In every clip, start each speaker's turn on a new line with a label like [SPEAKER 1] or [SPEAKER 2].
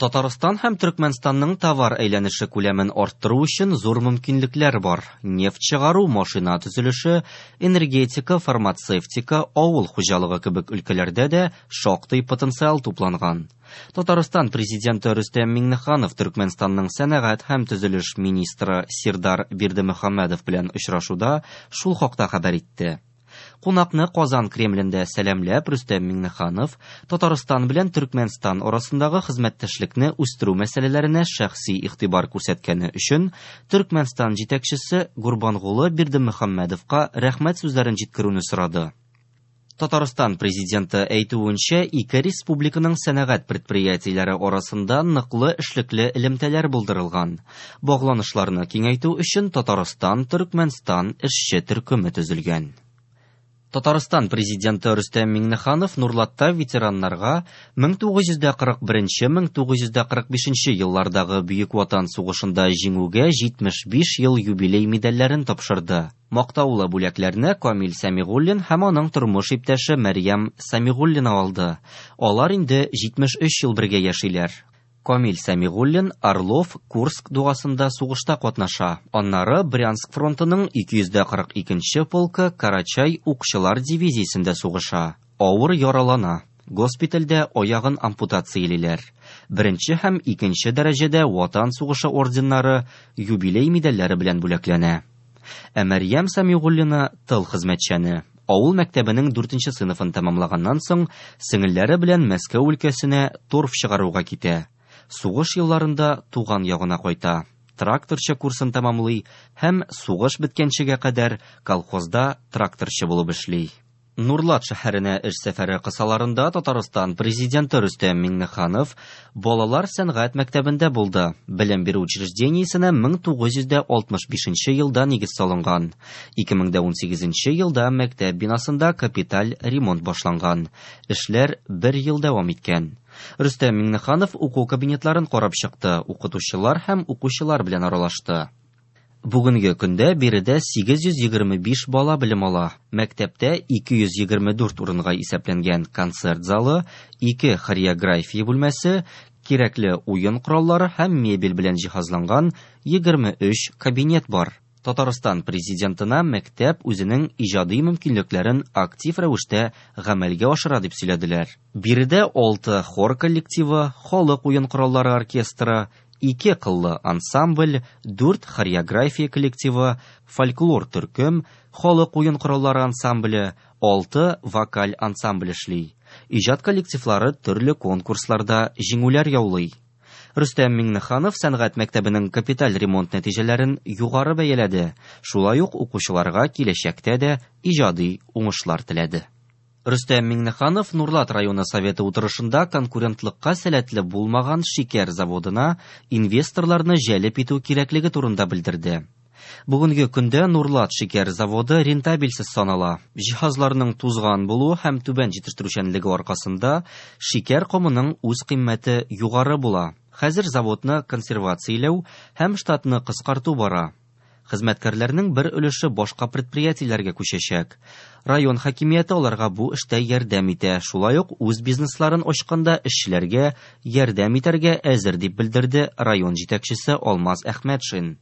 [SPEAKER 1] Татарстан һәм Төркмәнстанның товар әйләнеше күләмен арттыру өчен зур мөмкинлекләр бар. Нефть чыгару, машина төзелеше, энергетика, фармацевтика, авыл хуҗалыгы кебек өлкәләрдә дә шактый потенциал тупланган. Татарстан Президенты Рөстәм Миңнеханов Төркмәнстанның сәнәгать һәм төзелеш министры Сирдар Бирдемөхәммәдов белән очрашуда шул хакта хәбәр итте. Кунакны Казан Кремлендә сәламләп, Рөстәм Миңнеханов Татарстан белән Төркмәнстан арасындагы хезмәттәшлекне үстерү мәсьәләләренә шәхси игътибар күрсәткәне өчен Төркмәнстан җитәкчесе Гурбангулы Бирдемөхәммәдовка рәхмәт сүзләрен җиткерүне сорады. Татарстан Президенты әйтүенчә, ике республиканың сәнәгать предприятиеләре арасында ныклы эшлекле элемтәләр булдырылган. Багланышларны киңәйтү өчен Татарстан-Төркмәнстан эшче төркеме төзелгән. Татарстан Президенты Рөстәм Миңнеханов Нурлатта ветераннарга 1941-1945 еллардагы Бөек Ватан сугышында Җиңүгә 75 ел юбилей медальләрен тапшырды. Мактаулы бүләкләрне Камил Сәмигуллин һәм аның тормыш иптәше Мәрьям Сәмигуллина алды. Алар инде 73 ел бергә яшиләр. Камил Сәмигуллин Орлов, Курск дугасында сугышта катнаша. Аннары Брянск фронтының 242 нче полкы Карачай укчылар дивизиясендә сугыша. Авыр яралана. Госпитальдә аягын ампутациялиләр. Беренче һәм икенче дәрәҗәдә Ватан сугышы орденнары, юбилей медальләре белән бүләкләнә. Ә Мәрьям Сәмигуллина тыл хезмәтчәне. Авыл мәктәбенең дүртенче сыйныфын тәмамлаганнан соң, сеңелләре белән Мәскәү өлкәсенә торф чыгаруга китә. Сугыш елларында туган ягына кайта, тракторчы курсын тәмамлый һәм сугыш беткәнчегә кадәр колхозда тракторчы булып эшли. Нурлат шәһәренә эш сәфәре кысаларында Татарстан Президенты Рөстәм Миңнеханов Балалар сәнгать мәктәбендә булды. Белем бирү учреждениесенә 1965 елда нигез салынган. 2018 елда мәктәп бинасында капиталь ремонт башланган. Эшләр бер ел дәвам иткән. Рөстәм Миңнеханов уку кабинетларын карап чыкты, укытучылар һәм укучылар белән аралашты. Бүгенге көндә биредә 825 бала белем ала. Мәктәптә 224 урынга исәпләнгән концерт залы, ике хореография бүлмәсе, кирәкле уен кораллары һәм мебель белән җиһазланган 23 кабинет бар. Татарстан Президентына мәктәп үзенең иҗади мөмкинлекләрен актив рәвештә гамәлгә ашыра дип сөйләделәр. Биредә алты хор коллективы, халык уен кораллары оркестры, ике кыллы ансамбль, дүрт хореография коллективы, фольклор төркем, халык уен кораллары ансамбле, алты вокаль ансамбль эшли. Иҗат коллективлары төрле конкурсларда җиңүләр яулый. Рөстәм Миңнеханов сәнгать мәктәбенең капиталь ремонт нәтиҗәләрен югары бәяләде, шулай ук укучыларга киләчәктә дә иҗади уңышлар теләде. Рөстәм Миңнеханов Нурлат районы Советы утырышында конкурентлыкка сәләтле булмаган шикәр заводына инвесторларны җәлеп итү кирәклеге турында белдерде. Бүгенге көндә Нурлат шикәр заводы рентабельсез санала. Җиһазларның тузган булуы һәм түбән җитештерүчәнлеге аркасында шикәр комының үзкыйммәте югары була. Хәзер заводны консервацияләү һәм штатны кыскарту бара. Хезмәткәрләрнең бер өлеше башка предприятиеләргә күчәчәк. Район хакимияте аларга бу эштә ярдәм итә, шулай ук үз бизнесларын ачканда эшчеләргә ярдәм итәргә әзер, дип белдерде район җитәкчесе Алмаз Әхмәтшин.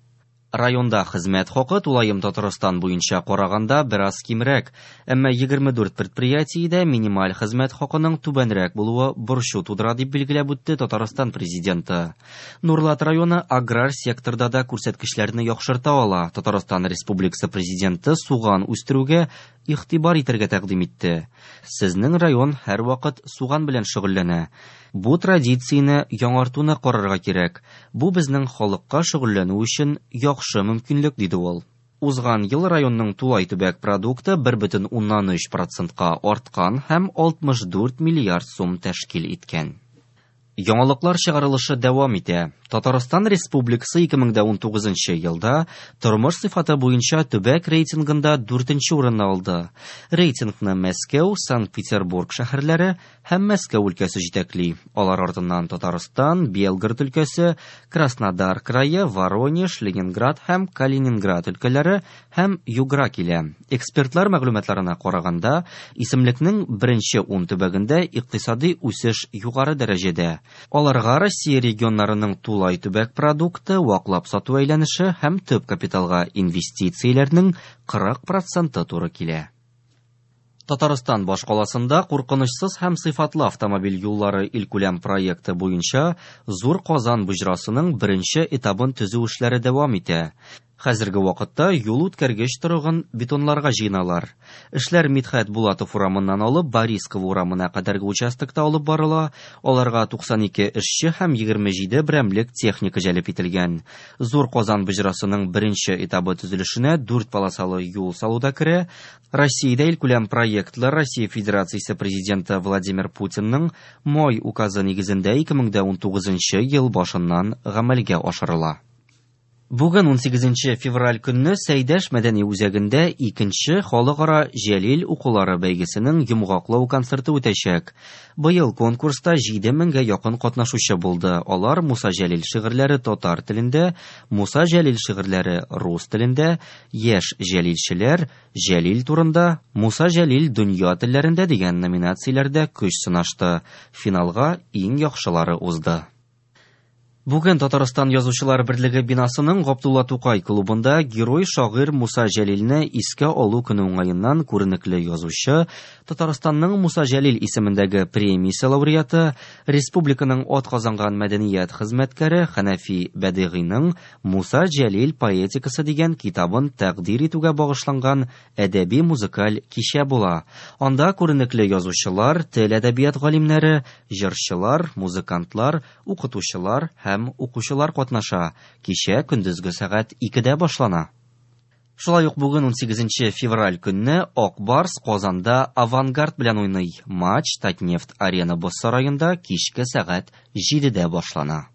[SPEAKER 1] Районда хезмәт хакы тулаем Татарстан буенча караганда бераз кимрәк, әмма 24 предприятиедә минималь хезмәт хакының түбәнрәк булуы борчу тудыра, дип билгеләп үтте Татарстан Президенты. Нурлат районы аграр секторда да күрсәткечләрне яхшырта ала. Татарстан Республикасы Президенты суган үстерүгә игътибар итәргә тәкъдим итте. Сезнең район һәрвакыт суган белән шөгыльләнә. Бу традицияне яңартуны карарга кирәк. Бу безнең халыкка шөгыльләнү өчен яхшы мөмкинлек, диде ул. Узган ел районның тулай төбәк продукты 1,3 процентка арткан һәм 64 миллиард сум тәшкил иткән. Яңалыклар чыгарылышы дәвам итә. Татарстан Республикасы 2019 елда тормыш сыйфаты буенча төбәк рейтингында дүртенче урынны алды. Рейтингны Мәскәү, Санкт-Петербург шәһәрләре һәм Мәскәү өлкәсе җитәкли. Алар артыннан Татарстан, Белгород өлкәсе, Краснодар крае, Воронеж, Ленинград һәм Калининград өлкәләре һәм Югра килә. Экспертлар мәгълүматларына караганда, исемлекнең беренче ун төбәгендә икътисади үсеш югары дәрәҗәдә. Аларга Россия регионнарының тулай төбәк продукты, ваклап сату әйләнеше һәм төп капиталга инвестицияләрнең 40 проценты туры килә. Татарстан башкаласында куркынычсыз һәм сыйфатлы автомобиль юллары илкүләм проекты буенча Зур Казан боҗрасының беренче этабын төзү эшләре дәвам итә. Хәзерге вакытта юл үткәргеч торыгын бетонларга җыеналар. Эшләр Мидхәт Булатов урамыннан алып Борисково урамына кадәрге участокта алып барыла. Аларга 92 эшче һәм 27 берәмлек техника җәлеп ителгән. Зур Казан боҗрасының беренче этабы төзелешенә 4 полосалы юл салу да керә. Россиядә илкүләм проектлар Россия Федерациясе Президенты Владимир Путинның май указы нигезендә 2019 ел башыннан гамәлгә ашырыла. Бүген 18 февраль көнне Сәйдәш мәдәни үзәгендә икенче халыкара Җәлил укулары бәйгесенең йомгаклау концерты үтәчәк. Быел конкурста 7 меңгә якын катнашучы булды. Алар Муса Җәлил шигырьләре татар телендә, Муса Җәлил шигырьләре рус телендә, яшь җәлилчеләр, Җәлил турында, Муса Җәлил дөнья телләрендә дигән номинацияләрдә көч сынашты. Финалга иң яхшылары узды. Бүген Татарстан Язучылар берлеге бинасының Габдулла Тукай клубында герой шагыйрь Муса Җәлилне искә алу көне уңаеннан күренекле язучы, Татарстанның Муса Җәлил исемендәге премиясе лауреаты, республиканың атказанган мәдәният хезмәткәре Хәнәфи Бәдигыйның Муса Җәлил поэтикасы дигән китабын тәкъдир итүгә багышланган әдәби музыкаль кичә була. Анда күренекле язучылар, тел әдәбият галимнәре, җырчылар, музыкантлар, укытучылар һәм укучылар катнаша. Кичә көндезге сәгать 2-дә башлана. Шулай ук бүген 18 февраль көнне Ак Барс Казанда Авангард белән уйный. Матч Татнефть Арена боз сараенда кичке сәгать 7-дә башлана.